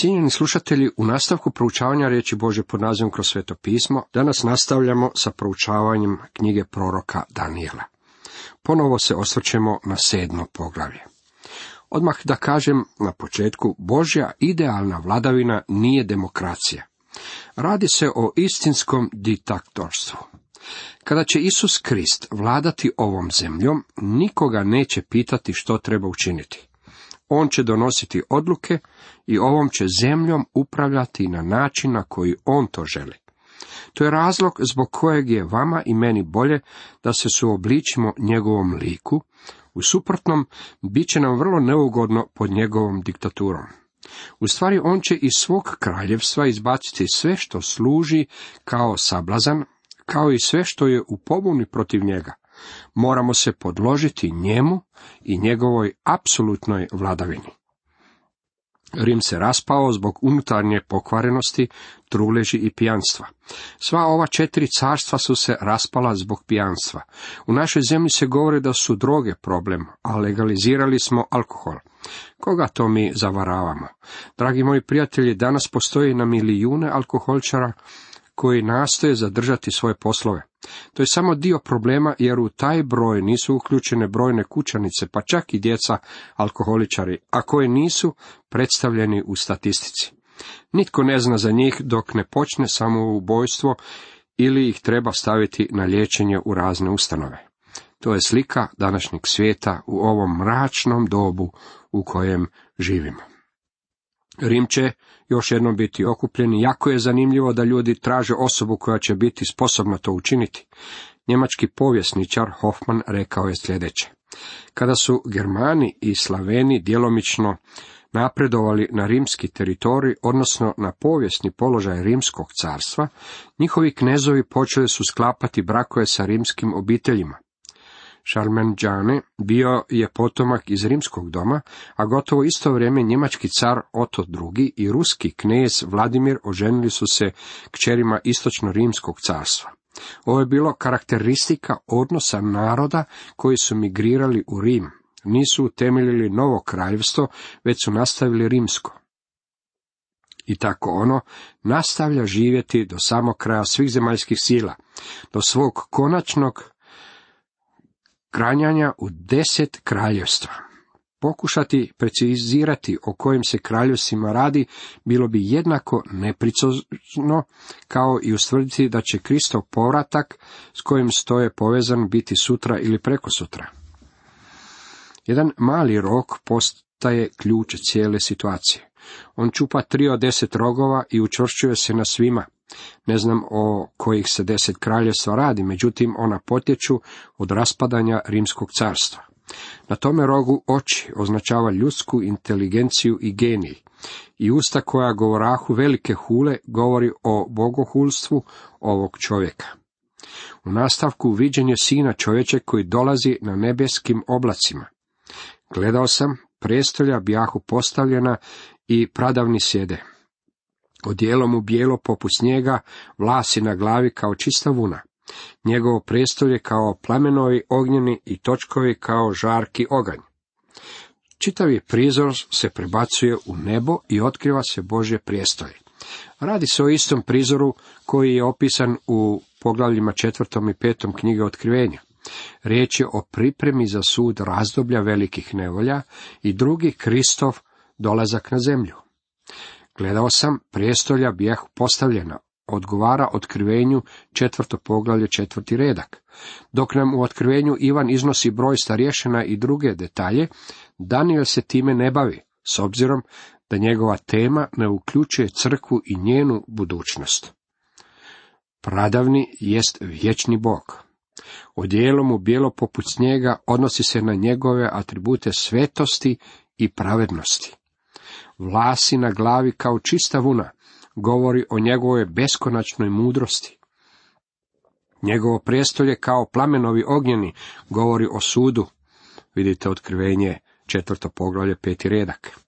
Cijenjeni slušatelji, u nastavku proučavanja riječi Božje pod nazivom Kroz Sveto pismo, danas nastavljamo sa proučavanjem knjige proroka Danijela. Ponovo se osvrćemo na 7. poglavlje. Odmah da kažem na početku, Božja idealna vladavina nije demokracija. Radi se o istinskom diktatorstvu. Kada će Isus Krist vladati ovom zemljom, nikoga neće pitati što treba učiniti. On će donositi odluke i ovom će zemljom upravljati na način na koji on to želi. To je razlog zbog kojeg je vama i meni bolje da se suobličimo njegovom liku, u suprotnom bit će nam vrlo neugodno pod njegovom diktaturom. U stvari on će iz svog kraljevstva izbaciti sve što služi kao sablazan, kao i sve što je u pobuni protiv njega. Moramo se podložiti njemu i njegovoj apsolutnoj vladavini. Rim se raspao zbog unutarnje pokvarenosti, truleži i pijanstva. Sva ova 4 carstva su se raspala zbog pijanstva. U našoj zemlji se govori da su droge problem, a legalizirali smo alkohol. Koga to mi zavaravamo? Dragi moji prijatelji, danas postoji na milijune alkoholčara koji nastoje zadržati svoje poslove. To je samo dio problema, jer u taj broj nisu uključene brojne kućanice, pa čak i djeca alkoholičari, a koji nisu predstavljeni u statistici. Nitko ne zna za njih dok ne počne samoubojstvo ili ih treba staviti na liječenje u razne ustanove. To je slika današnjeg svijeta u ovom mračnom dobu u kojem živimo. Rim će još jednom biti okupljen i jako je zanimljivo da ljudi traže osobu koja će biti sposobna to učiniti. Njemački povjesničar Hoffman rekao je sljedeće: kada su Germani i Slaveni djelomično napredovali na rimski teritorij, odnosno na povijesni položaj rimskog carstva, njihovi knezovi počeli su sklapati brakove sa rimskim obiteljima. Šarmenđane bio je potomak iz rimskog doma, a gotovo isto vrijeme njemački car Oto II i ruski knez Vladimir oženili su se kćerima istočno-rimskog carstva. Ovo je bilo karakteristika odnosa naroda koji su migrirali u Rim. Nisu utemeljili novo kraljevstvo, već su nastavili rimsko. I tako ono nastavlja živjeti do samog kraja svih zemaljskih sila, do svog konačnog kranjanja u 10 kraljevstva. Pokušati precizirati o kojim se kraljevstvima radi bilo bi jednako neprecizno kao i ustvrditi da će Kristov povratak s kojim stoje povezan biti sutra ili prekosutra. Jedan mali rog postaje ključ cijele situacije. On čupa 3 od 10 rogova i učvršćuje se na svima. Ne znam o kojih se 10 kraljevstva radi, međutim ona potječu od raspadanja rimskog carstva. Na tome rogu oči označava ljudsku inteligenciju i genij, i usta koja govorahu velike hule govori o bogohulstvu ovog čovjeka. U nastavku viđen je Sina čovječe koji dolazi na nebeskim oblacima. Gledao sam, prijestolja bjahu postavljena i pradavni sjede. Odijelo mu bijelo poput snijega, vlasi na glavi kao čista vuna. Njegovo prijestolje kao plamenovi ognjeni i točkovi kao žarki oganj. Čitavi prizor se prebacuje u nebo i otkriva se Božje prijestolje. Radi se o istom prizoru koji je opisan u poglavljima 4. i 5. knjige Otkrivenja. Riječ je o pripremi za sud razdoblja velikih nevolja i drugi Kristov dolazak na zemlju. Gledao sam, prijestolja bijahu postavljena, odgovara Otkrivenju 4. poglavlje 4. redak. Dok nam u Otkrivenju Ivan iznosi broj starješina i druge detalje, Danijel se time ne bavi, s obzirom da njegova tema ne uključuje crkvu i njenu budućnost. Pradavni jest vječni Bog. Odijelo mu bijelo poput snijega odnosi se na njegove atribute svetosti i pravednosti. Vlasi na glavi kao čista vuna govori o njegovoj beskonačnoj mudrosti. Njegovo prijestolje kao plamenovi ognjeni govori o sudu. Vidite Otkrivenje 4. poglavlje 5. redak.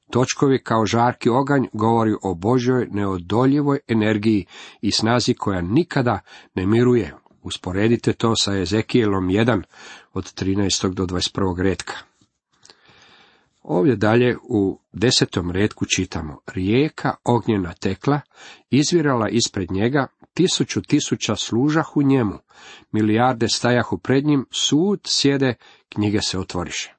Točkovi kao žarki oganj govori o Božjoj neodoljivoj energiji i snazi koja nikada ne miruje. Usporedite to sa Ezekijelom 1 od 13. do 21. retka. Ovdje dalje u 10. retku čitamo: rijeka ognjena tekla, izvirala ispred njega, 1000 služahu njemu, milijarde stajahu pred njim, sud sjede, knjige se otvoriše.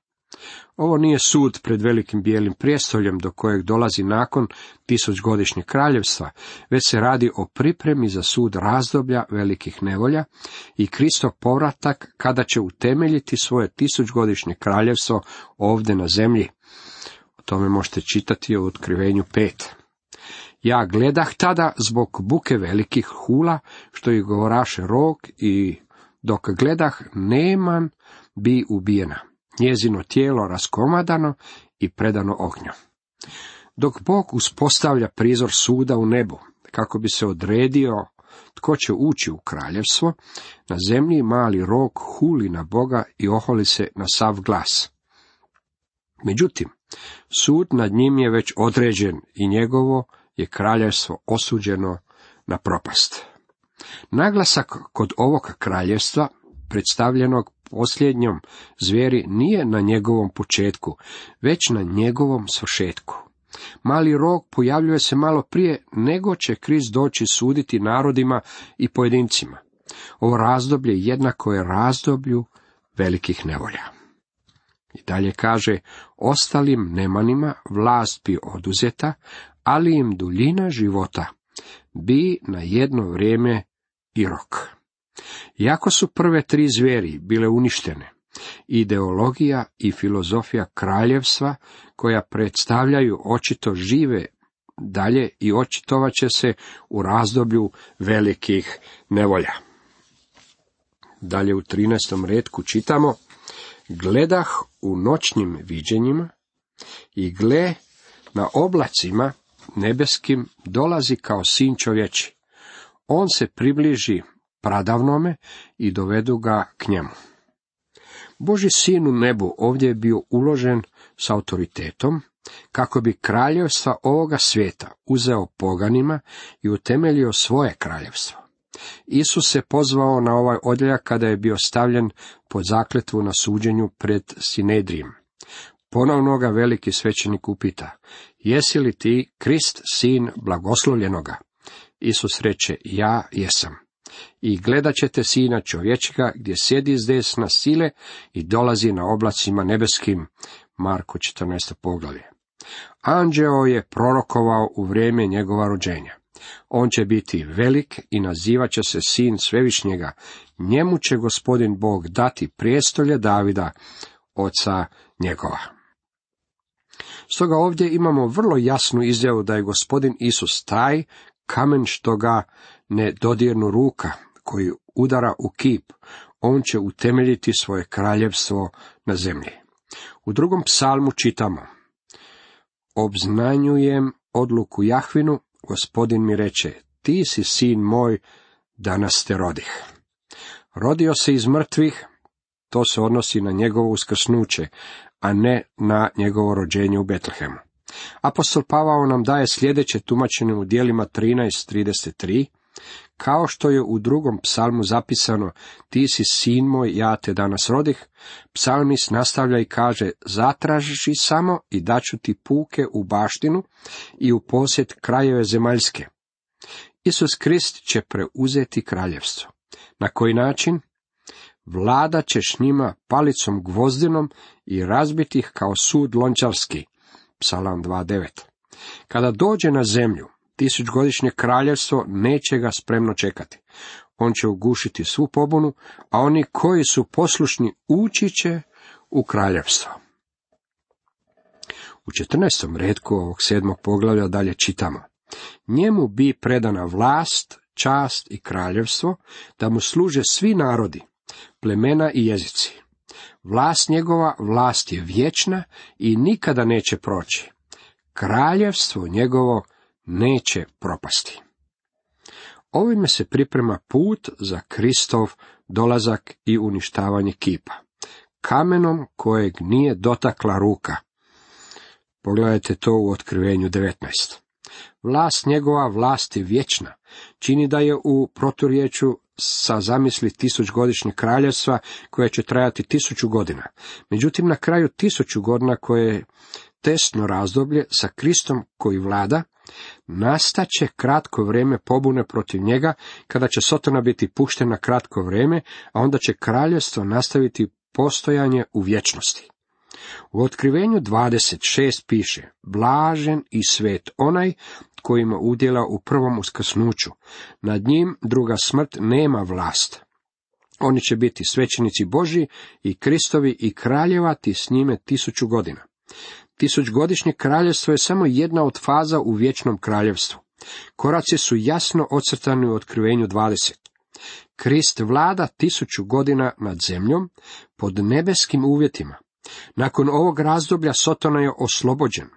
Ovo nije sud pred velikim bijelim prijestoljem do kojeg dolazi nakon 1000-godišnjeg kraljevstva, već se radi o pripremi za sud razdoblja velikih nevolja i Kristov povratak kada će utemeljiti svoje 1000-godišnje kraljevstvo ovdje na zemlji. O tome možete čitati u Otkrivenju 5. Ja gledah tada zbog buke velikih hula, što ih govoraše rog, i dok gledah Neman bi ubijena, njezino tijelo raskomadano i predano ognju. Dok Bog uspostavlja prizor suda u nebu, kako bi se odredio tko će ući u kraljevstvo, na zemlji mali rog huli na Boga i oholi se na sav glas. Međutim, sud nad njim je već određen i njegovo je kraljevstvo osuđeno na propast. Naglasak kod ovog kraljevstva, predstavljenog posljednjom zvijeri, nije na njegovom početku, već na njegovom svršetku. Mali rog pojavljuje se malo prije nego će Krist doći suditi narodima i pojedincima. Ovo razdoblje jednako je razdoblju velikih nevolja. I dalje kaže: ostalim nemanima vlast bi oduzeta, ali im duljina života bi na jedno vrijeme i rok. Iako su prve 3 zvijeri bile uništene, ideologija i filozofija kraljevstva, koja predstavljaju očito žive dalje i očitovat će se u razdoblju velikih nevolja. Dalje u 13. retku čitamo: gledah u noćnim viđenjima i gle, na oblacima nebeskim dolazi kao sin čovječi. On se približi pradavnome i dovedu ga k njemu. Božji sin u nebu ovdje je bio uložen s autoritetom, kako bi kraljevstva ovoga svijeta uzeo poganima i utemeljio svoje kraljevstvo. Isus se pozvao na ovaj odjeljak kada je bio stavljen pod zakletvu na suđenju pred Sinedrijem. Ponovno ga veliki svećenik upita: jesi li ti Krist, sin blagoslovljenoga? Isus reče: ja jesam. I gledat ćete sina čovječega gdje sjedi s desna sile i dolazi na oblacima nebeskim. Marko 14. poglavlje. Anđeo je prorokovao u vrijeme njegova rođenja. On će biti velik i nazivat će se sin Svevišnjega. Njemu će Gospodin Bog dati prijestolje Davida, oca njegova. Stoga ovdje imamo vrlo jasnu izjavu da je Gospodin Isus taj kamen što ga ne dodirnu ruka, koji udara u kip. On će utemeljiti svoje kraljevstvo na zemlji. U 2. psalmu čitamo: obznanjujem odluku Jahvinu, Gospodin mi reče: ti si sin moj, danas te rodih. Rodio se iz mrtvih, to se odnosi na njegovo uskrsnuće, a ne na njegovo rođenje u Betlehemu. Apostol Pavao nam daje sljedeće tumačenje u djelima 13:33, kao što je u 2. psalmu zapisano: ti si sin moj, ja te danas rodih. Psalmist nastavlja i kaže: zatraži samo i daću ti puke u baštinu i u posjed krajeve zemaljske. Isus Krist će preuzeti kraljevstvo. Na koji način? Vladat ćeš njima palicom gvozdinom i razbiti ih kao sud lončarski. Psalam 2:9. Kada dođe na zemlju, 1000-godišnje kraljevstvo neće ga spremno čekati. On će ugušiti svu pobunu, a oni koji su poslušni ući će u kraljevstvo. U 14. retku ovog 7. poglavlja dalje čitamo: njemu bi predana vlast, čast i kraljevstvo, da mu služe svi narodi, plemena i jezici. Vlast njegova, vlast je vječna i nikada neće proći. Kraljevstvo njegovo neće propasti. Ovime se priprema put za Kristov dolazak i uništavanje kipa, kamenom kojeg nije dotakla ruka. Pogledajte to u Otkrivenju 19. Vlast njegova, vlast je vječna, čini da je u proturječju sa zamisli 1000-godišnjeg kraljevstva koje će trajati 1000 godina. Međutim, na kraju 1000 godina koje je tesno razdoblje sa Kristom koji vlada, nastaće kratko vrijeme pobune protiv njega, kada će Sotona biti pušten na kratko vrijeme, a onda će kraljevstvo nastaviti postojanje u vječnosti. U Otkrivenju 26 piše: blažen i svet onaj koji ima udjela u prvom uskrsnuću. Nad njim druga smrt nema vlast. Oni će biti svećenici Božji i Kristovi i kraljevati s njime 1000 godina. 1000-godišnje kraljevstvo je samo jedna od faza u vječnom kraljevstvu. Koraci su jasno ocrtani u Otkrivenju 20. Krist vlada 1000 godina nad zemljom pod nebeskim uvjetima. Nakon ovog razdoblja Sotona je oslobođen.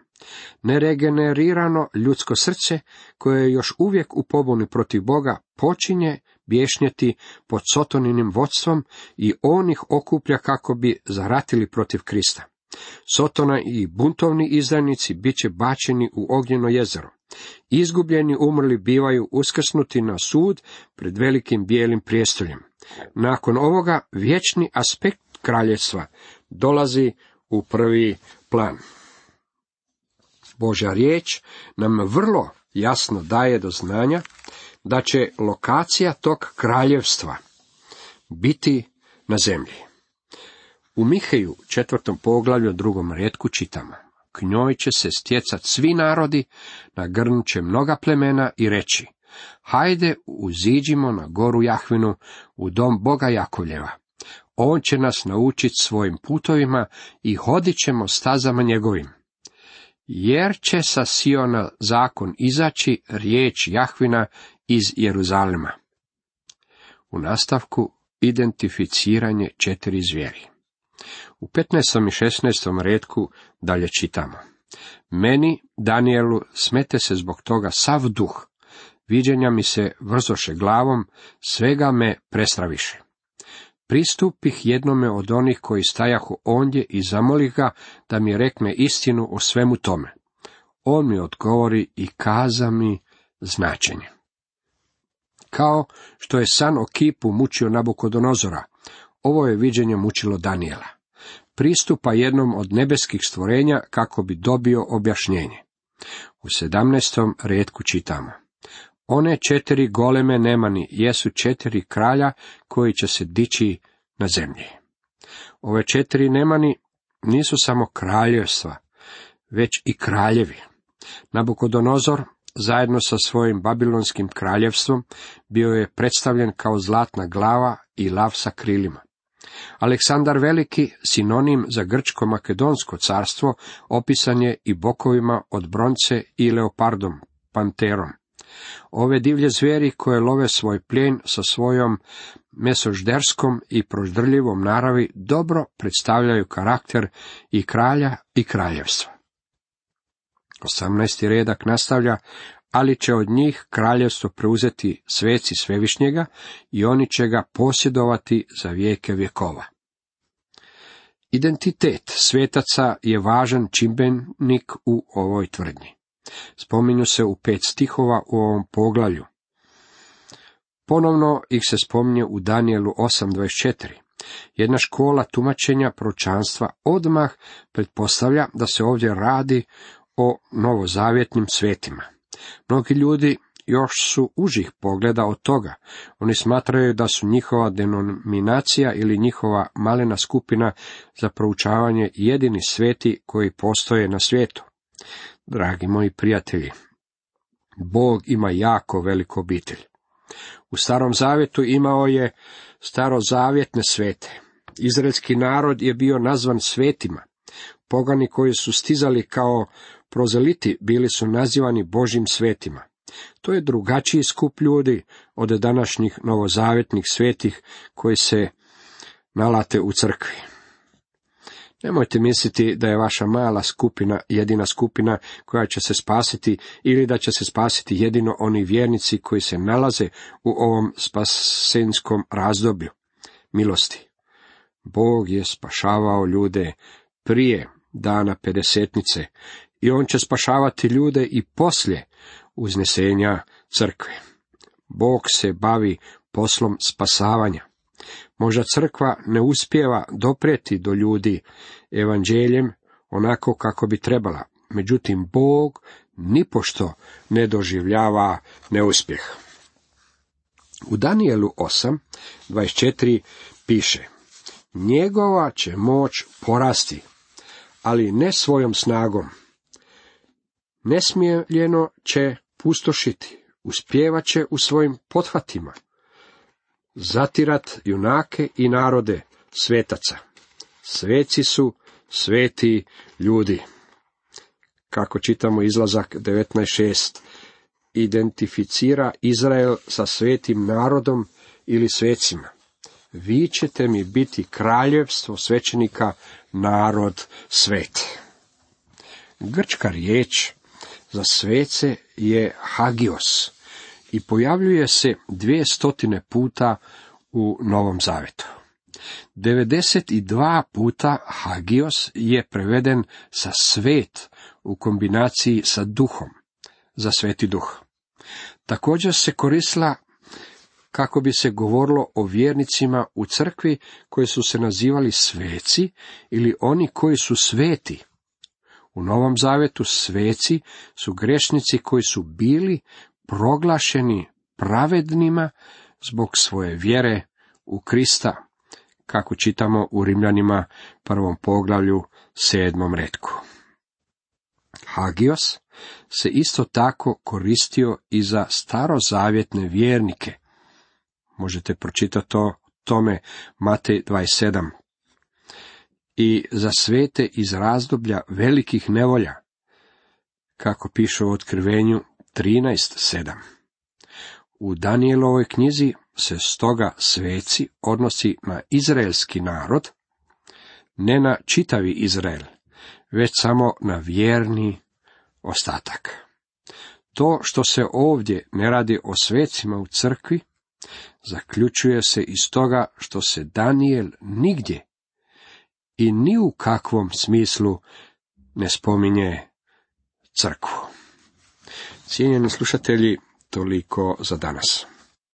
Neregenerirano ljudsko srce, koje je još uvijek u pobuni protiv Boga, počinje bješnjeti pod Sotoninim vodstvom i on ih okuplja kako bi zaratili protiv Krista. Sotona i buntovni izdajnici bit će bačeni u ognjeno jezero. Izgubljeni umrli bivaju uskrsnuti na sud pred velikim bijelim prijestoljem. Nakon ovoga vječni aspekt kraljevstva dolazi u prvi plan. Božja riječ nam vrlo jasno daje do znanja da će lokacija tog kraljevstva biti na zemlji. U Miheju 4. poglavlju 2. retku čitamo: k njoj će se stjecat svi narodi, nagrnut će mnoga plemena i reći: hajde, uziđimo na goru Jahvinu, u dom Boga Jakovljeva. On će nas naučiti svojim putovima i hodit ćemo stazama njegovim. Jer će sa Siona zakon izaći, riječ Jahvina iz Jeruzalema. U nastavku identificiranje 4 zvijeri. U 15. i 16. retku dalje čitamo: meni, Danielu, smete se zbog toga sav duh, viđenja mi se vrzoše glavom, svega me prestraviše. Pristupih jednome od onih koji stajahu ondje i zamolih ga da mi rekne istinu o svemu tome. On mi odgovori i kaza mi značenje. Kao što je san o kipu mučio Nabukodonozora, ovo je viđenje mučilo Danijela. Pristupa jednom od nebeskih stvorenja kako bi dobio objašnjenje. U 17. retku čitamo: one 4 goleme nemani jesu 4 kralja koji će se dići na zemlji. Ove 4 nemani nisu samo kraljevstva, već i kraljevi. Nabukodonozor, zajedno sa svojim babilonskim kraljevstvom, bio je predstavljen kao zlatna glava i lav sa krilima. Aleksandar Veliki, sinonim za grčko-makedonsko carstvo, opisan je i bokovima od bronce i leopardom, panterom. Ove divlje zvijeri koje love svoj plijen sa svojom mesožderskom i proždrljivom naravi dobro predstavljaju karakter i kralja i kraljevstva. 18. redak nastavlja: ali će od njih kraljevstvo preuzeti sveci Svevišnjega i oni će ga posjedovati za vijeke vjekova. Identitet svetaca je važan čimbenik u ovoj tvrdnji. Spominju se u 5 stihova u ovom poglavlju. Ponovno ih se spominje u Danijelu 8.24. Jedna škola tumačenja proročanstva odmah pretpostavlja da se ovdje radi o novozavjetnim svetima. Mnogi ljudi još su užih pogleda od toga. Oni smatraju da su njihova denominacija ili njihova malena skupina za proučavanje jedini sveti koji postoje na svijetu. Dragi moji prijatelji, Bog ima jako veliku obitelj. U Starom zavjetu imao je starozavjetne svete. Izraelski narod je bio nazvan svetima. Pogani koji su stizali kao prozeliti bili su nazivani Božjim svetima. To je drugačiji skup ljudi od današnjih novozavjetnih svetih koji se nalate u crkvi. Nemojte misliti da je vaša mala skupina jedina skupina koja će se spasiti ili da će se spasiti jedino oni vjernici koji se nalaze u ovom spasenskom razdoblju milosti. Bog je spašavao ljude prije dana pedesetnice i on će spašavati ljude i poslije uznesenja crkve. Bog se bavi poslom spasavanja. Možda crkva ne uspijeva doprijeti do ljudi evanđeljem onako kako bi trebala, međutim Bog nipošto ne doživljava neuspjeh. U Danijelu 8:24 piše: njegova će moć porasti, ali ne svojom snagom. Nesmiljeno će pustošiti, uspjevat će u svojim pothvatima, zatirat junake i narode svetaca. Sveci su sveti ljudi. Kako čitamo Izlazak 19:6, identificira Izrael sa svetim narodom ili svecima. Vi ćete mi biti kraljevstvo svećenika, narod svet. Grčka riječ za svece je hagios i pojavljuje se 200 puta u Novom Zavetu. 92 puta hagios je preveden sa svet u kombinaciji sa duhom, za sveti duh. Također se koristila kako bi se govorilo o vjernicima u crkvi koji su se nazivali sveci ili oni koji su sveti. U Novom Zavetu sveci su grešnici koji su bili proglašeni pravednima zbog svoje vjere u Krista, kako čitamo u Rimljanima 1. poglavlju 7. retku. Hagios se isto tako koristio i za starozavjetne vjernike. Možete pročitati o tome Matej 27. I za svete iz razdoblja velikih nevolja, kako piše u Otkrivenju 13:7. U Danijelovoj knjizi se stoga sveci odnosi na izraelski narod, ne na čitavi Izrael, već samo na vjerni ostatak. To što se ovdje ne radi o svecima u crkvi, zaključuje se iz toga što se Danijel nigdje i ni u kakvom smislu ne spominje crkvu. Cijenjeni slušatelji, toliko za danas.